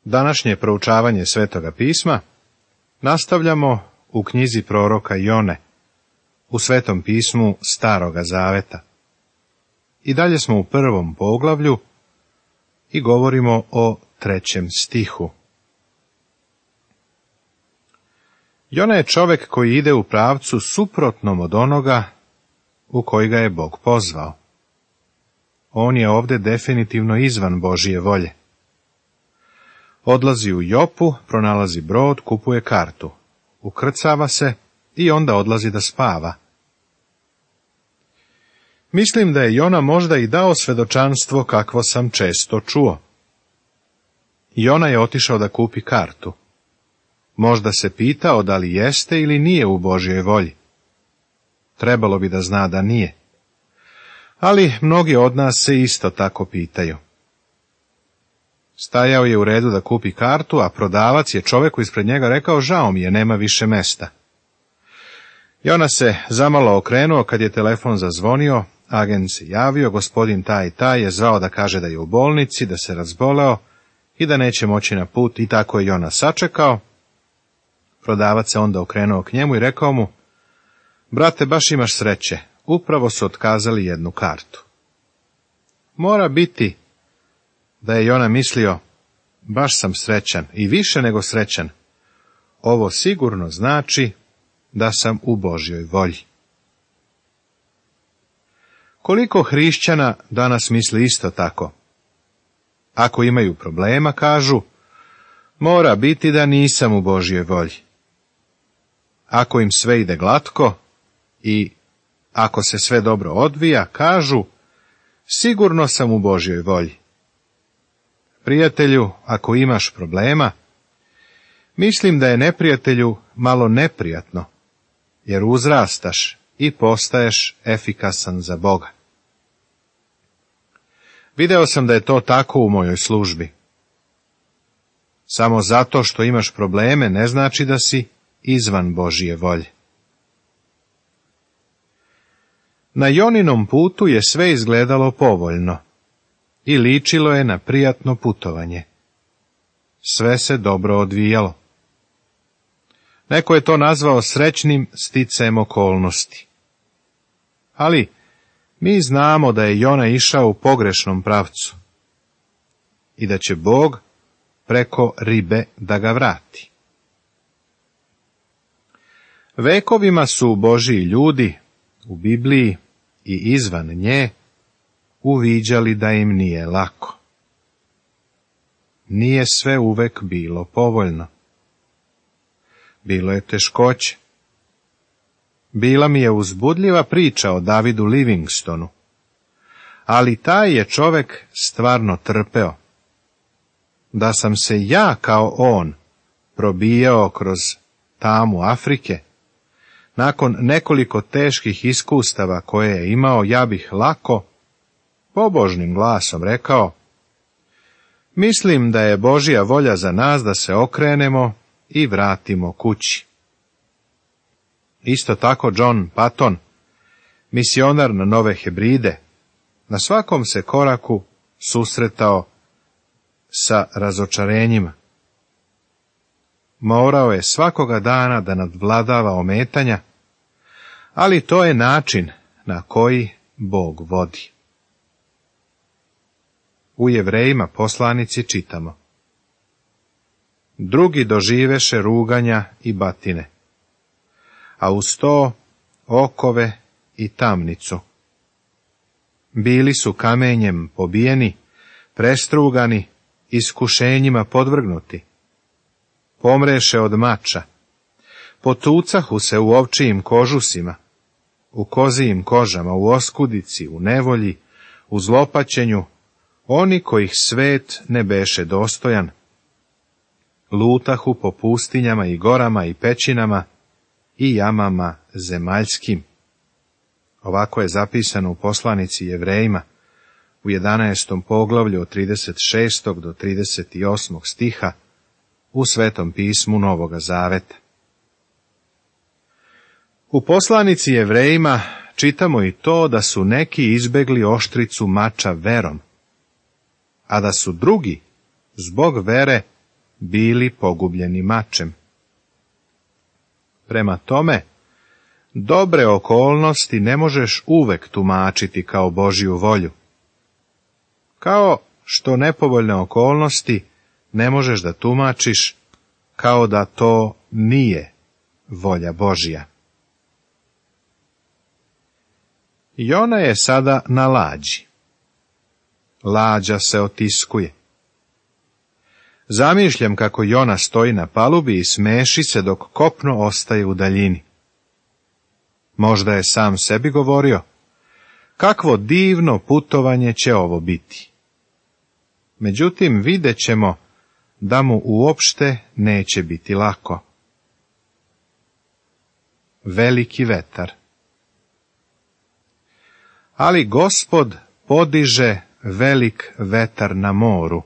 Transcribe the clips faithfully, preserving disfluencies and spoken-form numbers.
Današnje proučavanje Svetoga pisma nastavljamo u knjizi proroka Jone, u Svetom pismu Staroga zaveta. I dalje smo u prvom poglavlju i govorimo o trećem stihu. Jona je čovjek koji ide u pravcu suprotnom od onoga u koji ga je Bog pozvao. On je ovdje definitivno izvan Božije volje. Odlazi u Jopu, pronalazi brod, kupuje kartu, ukrcava se i onda odlazi da spava. Mislim da je Jona možda i dao svedočanstvo kakvo sam često čuo. Jona je otišao da kupi kartu. Možda se pitao da li jeste ili nije u Božjoj volji. Trebalo bi da zna da nije. Ali mnogi od nas se isto tako pitaju. Stajao je u redu da kupi kartu, a prodavac je čovjeku ispred njega rekao: žao mi je, nema više mesta. Jona se zamalo okrenuo kad je telefon zazvonio, agent se javio, gospodin taj i taj je zvao da kaže da je u bolnici, da se razboleo i da neće moći na put, i tako je Jona sačekao. Prodavac se onda okrenuo k njemu i rekao mu: brate, baš imaš sreće, upravo su otkazali jednu kartu. Mora biti da je Jona mislio: baš sam srećan i više nego srećan. Ovo sigurno znači da sam u Božjoj volji. Koliko hrišćana danas misli isto tako? Ako imaju problema, kažu: mora biti da nisam u Božjoj volji. Ako im sve ide glatko i ako se sve dobro odvija, kažu: sigurno sam u Božjoj volji. Prijatelju, ako imaš problema, mislim da je neprijatelju malo neprijatno, jer uzrastaš i postaješ efikasan za Boga. Video sam da je to tako u mojoj službi. Samo zato što imaš probleme ne znači da si izvan Božje volje. Na Joninom putu je sve izgledalo povoljno i ličilo je na prijatno putovanje. Sve se dobro odvijalo. Neko je to nazvao srećnim sticajem okolnosti. Ali mi znamo da je Jona išao u pogrešnom pravcu i da će Bog preko ribe da ga vrati. Vekovima su Božji ljudi u Bibliji i izvan nje uviđali da im nije lako. Nije sve uvek bilo povoljno. Bilo je teškoće. Bila mi je uzbudljiva priča o Davidu Livingstonu, ali taj je čovek stvarno trpeo. Da sam se ja kao on probijao kroz tamu Afrike, nakon nekoliko teških iskustava koje je imao, ja bih lako, pobožnim glasom rekao: mislim da je Božja volja za nas da se okrenemo i vratimo kući. Isto tako John Patton, misionar na Nove Hebride, na svakom se koraku susretao sa razočarenjima. Morao je svakoga dana da nadvladava ometanja, ali to je način na koji Bog vodi. U Jevrejima poslanici čitamo: drugi doživeše ruganja i batine, a uz to okove i tamnicu. Bili su kamenjem pobijeni, prestrugani, iskušenjima podvrgnuti. Pomreše od mača, potucahu se u ovčijim kožusima, u kozijim kožama, u oskudici, u nevolji, u zlopaćenju, oni kojih svet ne beše dostojan. Lutahu po pustinjama i gorama i pećinama i jamama zemaljskim. Ovako je zapisano u poslanici Jevrejima u jedanaestom poglavlju od trideset šestog do trideset osmog stiha u Svetom pismu Novoga Zaveta. U poslanici Jevrejima čitamo i to da su neki izbegli oštricu mača verom, a da su drugi zbog vere bili pogubljeni mačem. Prema tome, dobre okolnosti ne možeš uvek tumačiti kao Božju volju. Kao što nepovoljne okolnosti ne možeš da tumačiš kao da to nije volja Božja. Jona je sada na lađi. Lađa se otiskuje. Zamišljam kako Jona stoji na palubi i smeši se dok kopno ostaje u daljini. Možda je sam sebi govorio, kakvo divno putovanje će ovo biti. Međutim, vidjet ćemo da mu uopšte neće biti lako. Veliki vetar. Ali Gospod podiže velik vetar na moru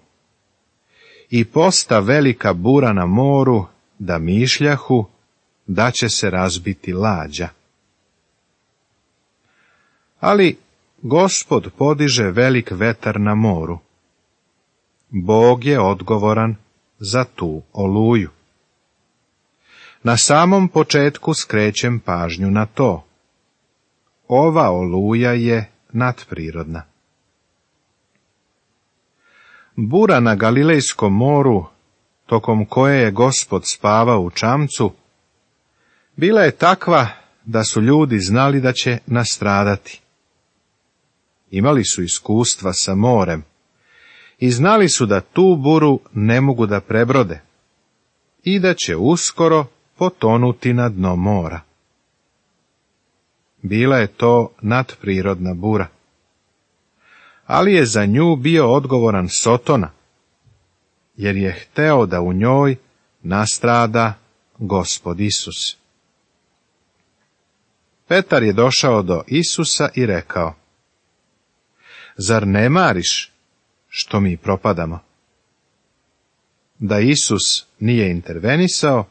i posta velika bura na moru da mišljahu da će se razbiti lađa. Ali Gospod podiže velik vetar na moru. Bog je odgovoran za tu oluju. Na samom početku skrećem pažnju na to. Ova oluja je nadprirodna. Bura na Galilejskom moru, tokom koje je Gospod spavao u čamcu, bila je takva da su ljudi znali da će nastradati. Imali su iskustva sa morem i znali su da tu buru ne mogu da prebrode i da će uskoro potonuti na dno mora. Bila je to nadprirodna bura, ali je za nju bio odgovoran Sotona, jer je hteo da u njoj nastrada Gospod Isus. Petar je došao do Isusa i rekao: Zar ne mariš što mi propadamo? Da Isus nije intervenisao,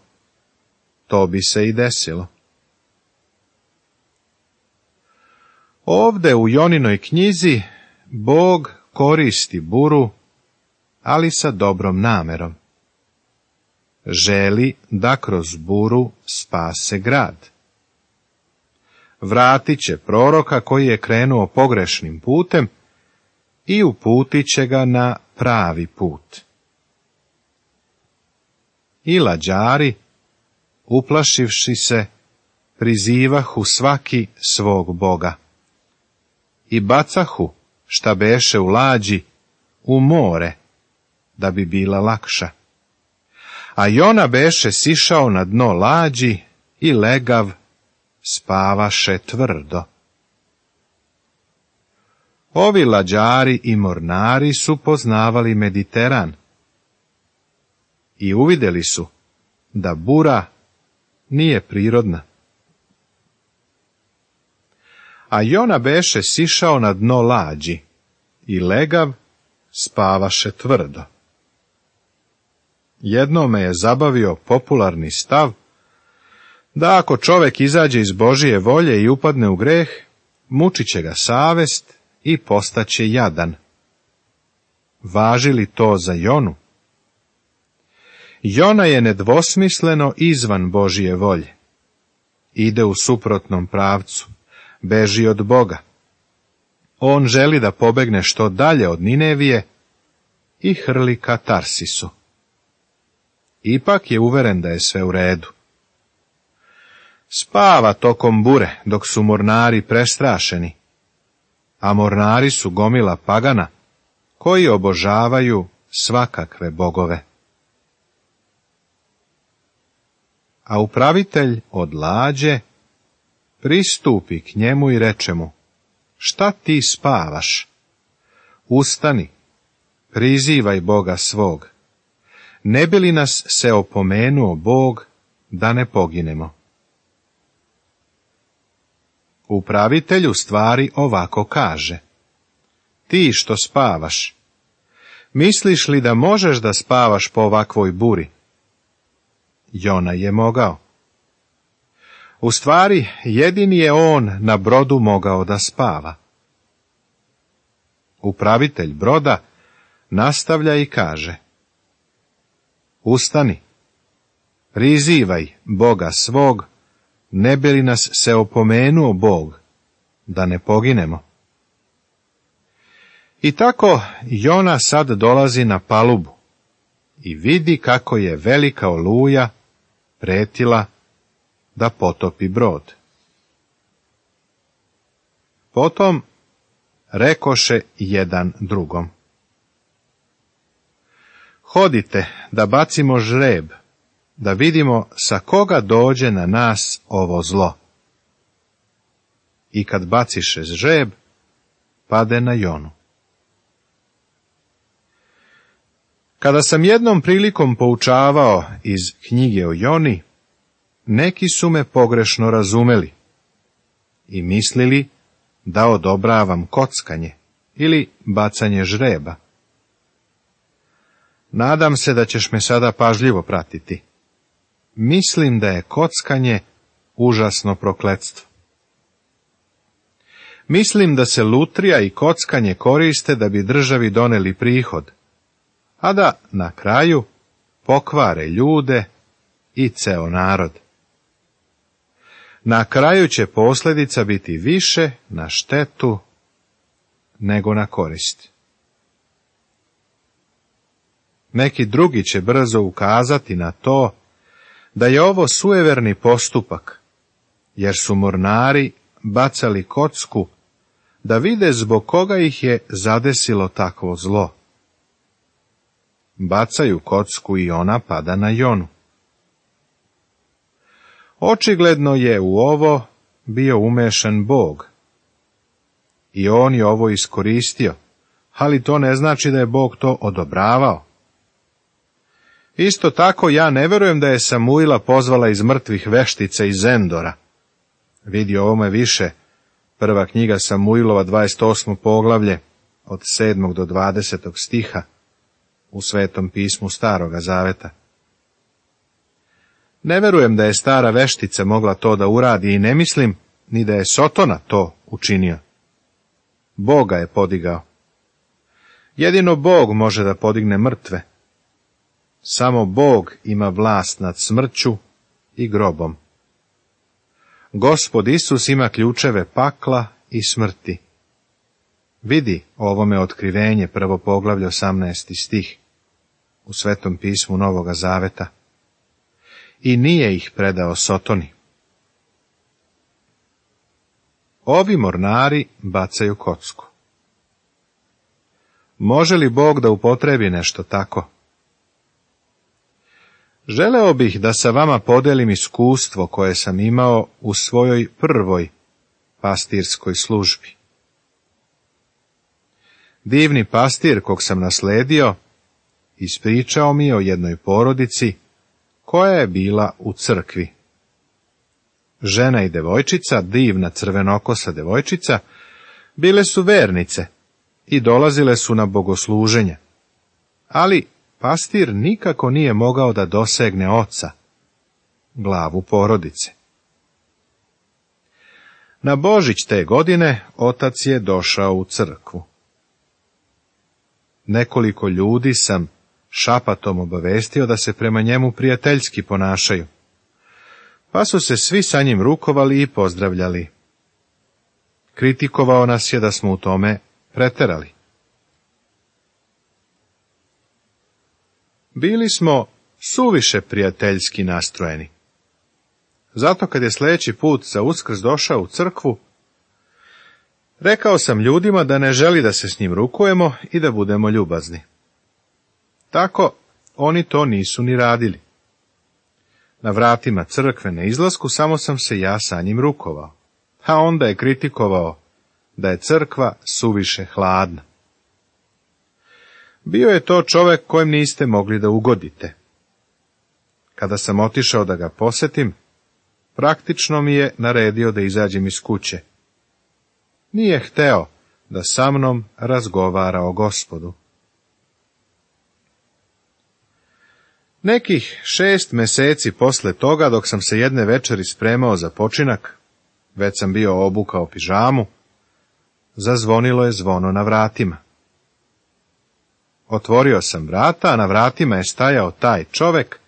to bi se i desilo. Ovde u Joninoj knjizi Bog koristi buru, ali sa dobrom namerom. Želi da kroz buru spase grad. Vratit će proroka koji je krenuo pogrešnim putem i uputit će ga na pravi put. I lađari, uplašivši se, prizivahu svaki svog boga i bacahu šta beše u lađi u more, da bi bila lakša. A Jona beše sišao na dno lađi i legav spavaše tvrdo. Ovi lađari i mornari su poznavali Mediteran i uvidjeli su da bura nije prirodna. A Jona beše sišao na dno lađi i legav spavaše tvrdo. Jedno me je zabavio popularni stav da ako čovjek izađe iz Božije volje i upadne u greh, mučit će ga savest i postaće jadan. Važi li to za Jonu? Jona je nedvosmisleno izvan Božije volje. Ide u suprotnom pravcu, beži od Boga. On želi da pobegne što dalje od Ninevije i hrli ka Tarsisu. Ipak je uveren da je sve u redu. Spava tokom bure dok su mornari prestrašeni, a mornari su gomila pagana koji obožavaju svakakve bogove. A upravitelj od lađe pristupi k njemu i reče mu: Šta ti spavaš? Ustani, prizivaj Boga svog. Ne bi li nas se opomenuo Bog da ne poginemo? Upravitelj u stvari ovako kaže: Ti što spavaš, misliš li da možeš da spavaš po ovakvoj buri? Jona je mogao. U stvari, jedini je on na brodu mogao da spava. Upravitelj broda nastavlja i kaže: Ustani, prizivaj Boga svog, ne bi li nas se opomenuo Bog, da ne poginemo. I tako Jona sad dolazi na palubu i vidi kako je velika oluja pretila da potopi brod. Potom rekoše jedan drugom: hodite da bacimo žreb, da vidimo sa koga dođe na nas ovo zlo. I kad baciše žreb, pade na Jonu. Kada sam jednom prilikom poučavao iz knjige o Joni, neki su me pogrešno razumeli i mislili da odobravam kockanje ili bacanje žreba. Nadam se da ćeš me sada pažljivo pratiti. Mislim da je kockanje užasno prokletstvo. Mislim da se lutrija i kockanje koriste da bi državi doneli prihod, a da na kraju pokvare ljude i ceo narod. Na kraju će posljedica biti više na štetu nego na korist. Neki drugi će brzo ukazati na to da je ovo sujeverni postupak, jer su mornari bacali kocku da vide zbog koga ih je zadesilo takvo zlo. Bacaju kocku i ona pada na Jonu. Očigledno je u ovo bio umešan Bog. I on je ovo iskoristio, ali to ne znači da je Bog to odobravao. Isto tako ja ne verujem da je Samuila pozvala iz mrtvih veštica iz Endora. Vidi ovome više, prva knjiga Samuilova, dvadeset osmo poglavlje, od sedmog do dvadesetog stiha, u Svetom pismu Staroga Zaveta. Ne verujem da je stara veštica mogla to da uradi i ne mislim ni da je Sotona to učinio. Bog ga je podigao. Jedino Bog može da podigne mrtve. Samo Bog ima vlast nad smrću i grobom. Gospod Isus ima ključeve pakla i smrti. Vidi ovome otkrivenje, prvo poglavlje, osamnaesti stih, u Svetom pismu Novoga Zaveta. I nije ih predao Sotoni. Ovi mornari bacaju kocku. Može li Bog da upotrebi nešto tako? Želeo bih da sa vama podelim iskustvo koje sam imao u svojoj prvoj pastirskoj službi. Divni pastir kog sam nasledio ispričao mi o jednoj porodici koja je bila u crkvi. Žena i devojčica, divna crvenokosa devojčica, bile su vernice i dolazile su na bogosluženje, ali pastir nikako nije mogao da dosegne oca, glavu porodice. Na Božić te godine otac je došao u crkvu. Nekoliko ljudi sam šapatom obavestio da se prema njemu prijateljski ponašaju, pa su se svi sa njim rukovali i pozdravljali. Kritikovao nas je da smo u tome preterali. Bili smo suviše prijateljski nastrojeni. Zato kad je sljedeći put za Uskrs došao u crkvu, rekao sam ljudima da ne želi da se s njim rukujemo i da budemo ljubazni. Tako oni to nisu ni radili. Na vratima crkve na izlasku samo sam se ja sa njim rukovao, a onda je kritikovao da je crkva suviše hladna. Bio je to čovek kojem niste mogli da ugodite. Kada sam otišao da ga posetim, praktično mi je naredio da izađem iz kuće. Nije hteo da sa mnom razgovara o Gospodu. Nekih šest meseci posle toga, dok sam se jedne večeri spremao za počinak, već sam bio obukao pižamu, zazvonilo je zvono na vratima. Otvorio sam vrata, a na vratima je stajao taj čovek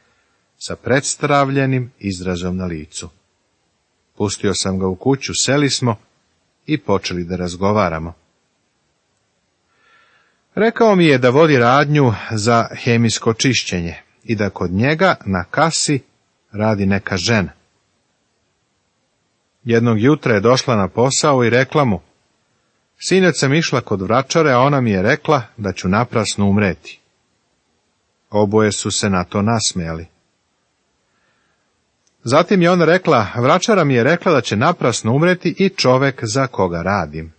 sa predstavljenim izrazom na licu. Pustio sam ga u kuću, seli smo i počeli da razgovaramo. Rekao mi je da vodi radnju za hemijsko čišćenje i da kod njega na kasi radi neka žena. Jednog jutra je došla na posao i rekla mu: sinoć sam išla kod vračare, a ona mi je rekla da ću naprasno umreti. Oboje su se na to nasmejali. Zatim je ona rekla: vračara mi je rekla da će naprasno umreti i čovek za koga radim.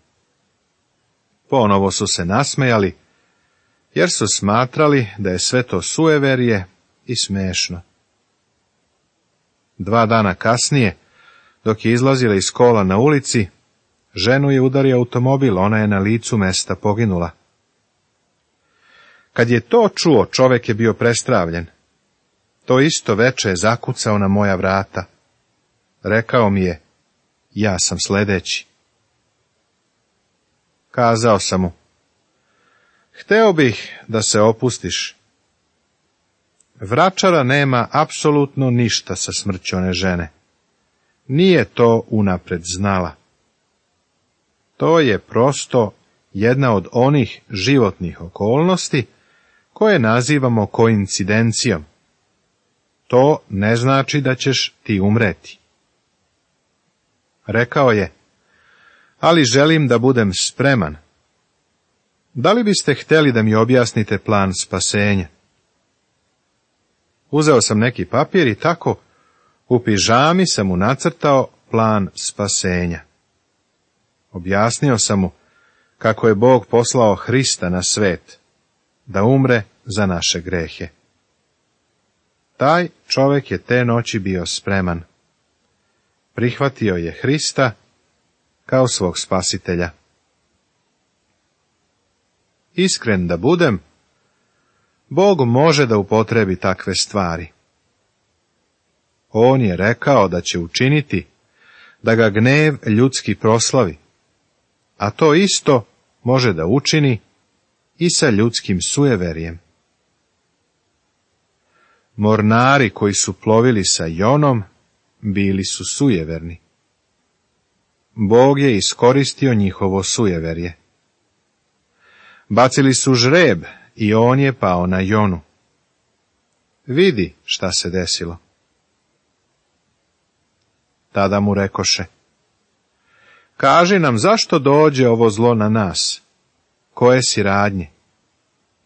Ponovo su se nasmejali, jer su smatrali da je sve to sueverje i smešno. Dva dana kasnije, dok je izlazila iz kola na ulici, ženu je udario automobil, ona je na licu mesta poginula. Kad je to čuo, čovek je bio prestravljen. To isto veče je zakucao na moja vrata. Rekao mi je: ja sam sledeći. Kazao sam mu: hteo bih da se opustiš. Vračara nema apsolutno ništa sa smrću one žene. Nije to unapred znala. To je prosto jedna od onih životnih okolnosti koje nazivamo koincidencijom. To ne znači da ćeš ti umreti. Rekao je: ali želim da budem spreman. Da li biste htjeli da mi objasnite plan spasenja? Uzeo sam neki papir i tako u pižami sam mu nacrtao plan spasenja. Objasnio sam mu kako je Bog poslao Hrista na svet, da umre za naše grehe. Taj čovjek je te noći bio spreman. Prihvatio je Hrista kao svog spasitelja. Iskren da budem, Bog može da upotrebi takve stvari. On je rekao da će učiniti da ga gnev ljudski proslavi, a to isto može da učini i sa ljudskim sujeverjem. Mornari koji su plovili sa Jonom bili su sujeverni. Bog je iskoristio njihovo sujeverje. Bacili su žreb i on je pao na Jonu. Vidi šta se desilo. Tada mu rekoše: kaži nam zašto dođe ovo zlo na nas, koje si radnje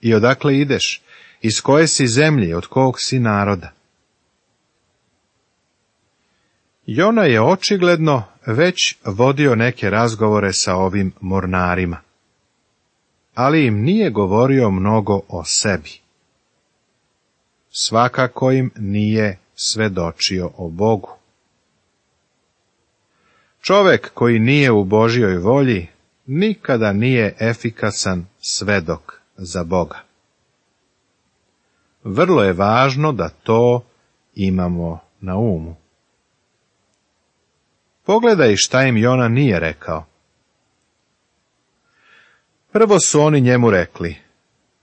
i odakle ideš, iz koje si zemlje i od kog si naroda. Jona je očigledno već vodio neke razgovore sa ovim mornarima, ali im nije govorio mnogo o sebi. Svakako im nije svedočio o Bogu. Čovek koji nije u Božjoj volji nikada nije efikasan svedok za Boga. Vrlo je važno da to imamo na umu. Pogledaj šta im Jona nije rekao. Prvo su oni njemu rekli: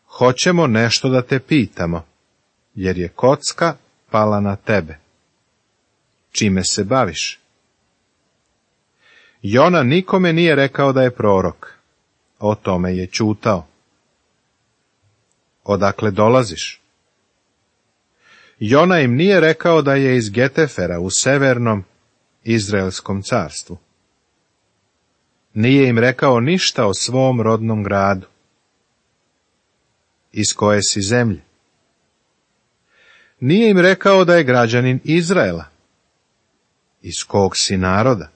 hoćemo nešto da te pitamo, jer je kocka pala na tebe. Čime se baviš? Jona nikome nije rekao da je prorok. O tome je ćutao. Odakle dolaziš? Jona im nije rekao da je iz Getefera u severnom Izraelskom carstvu. Nije im rekao ništa o svom rodnom gradu. Iz koje si zemlje? Nije im rekao da je građanin Izraela. Iz kog si naroda?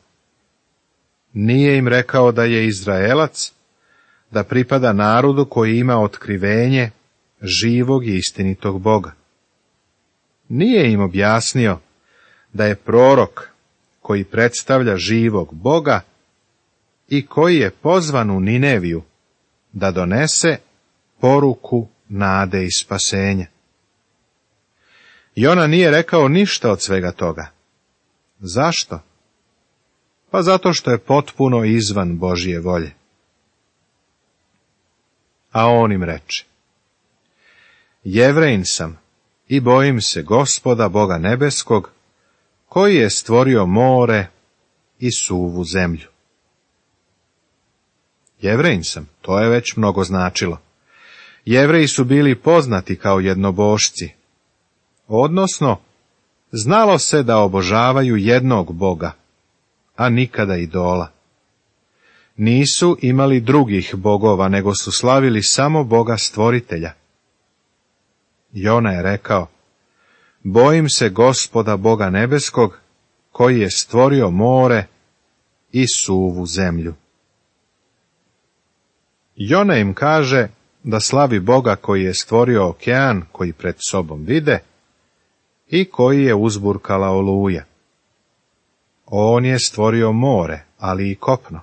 Nije im rekao da je Izraelac, da pripada narodu koji ima otkrivenje živog i istinitog Boga. Nije im objasnio da je prorok koji predstavlja živog Boga i koji je pozvan u Nineviju da donese poruku nade i spasenja. Jona nije rekao ništa od svega toga. Zašto? Pa zato što je potpuno izvan Božje volje. A on im reče: Jevrejin sam i bojim se Gospoda Boga nebeskog, koji je stvorio more i suvu zemlju. Jevrejin sam, to je već mnogo značilo. Jevreji su bili poznati kao jednobošci, odnosno znalo se da obožavaju jednog Boga, a nikada idola. Nisu imali drugih bogova, nego su slavili samo Boga stvoritelja. Jona je rekao, bojim se Gospoda Boga nebeskog, koji je stvorio more i suvu zemlju. Jona im kaže da slavi Boga koji je stvorio okean koji pred sobom vide i koji je uzburkala oluja. On je stvorio more, ali i kopno.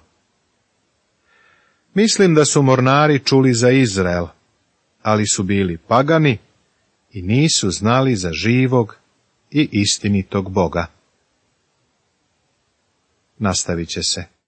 Mislim da su mornari čuli za Izrael, ali su bili pagani i nisu znali za živog i istinitog Boga. Nastavit će se.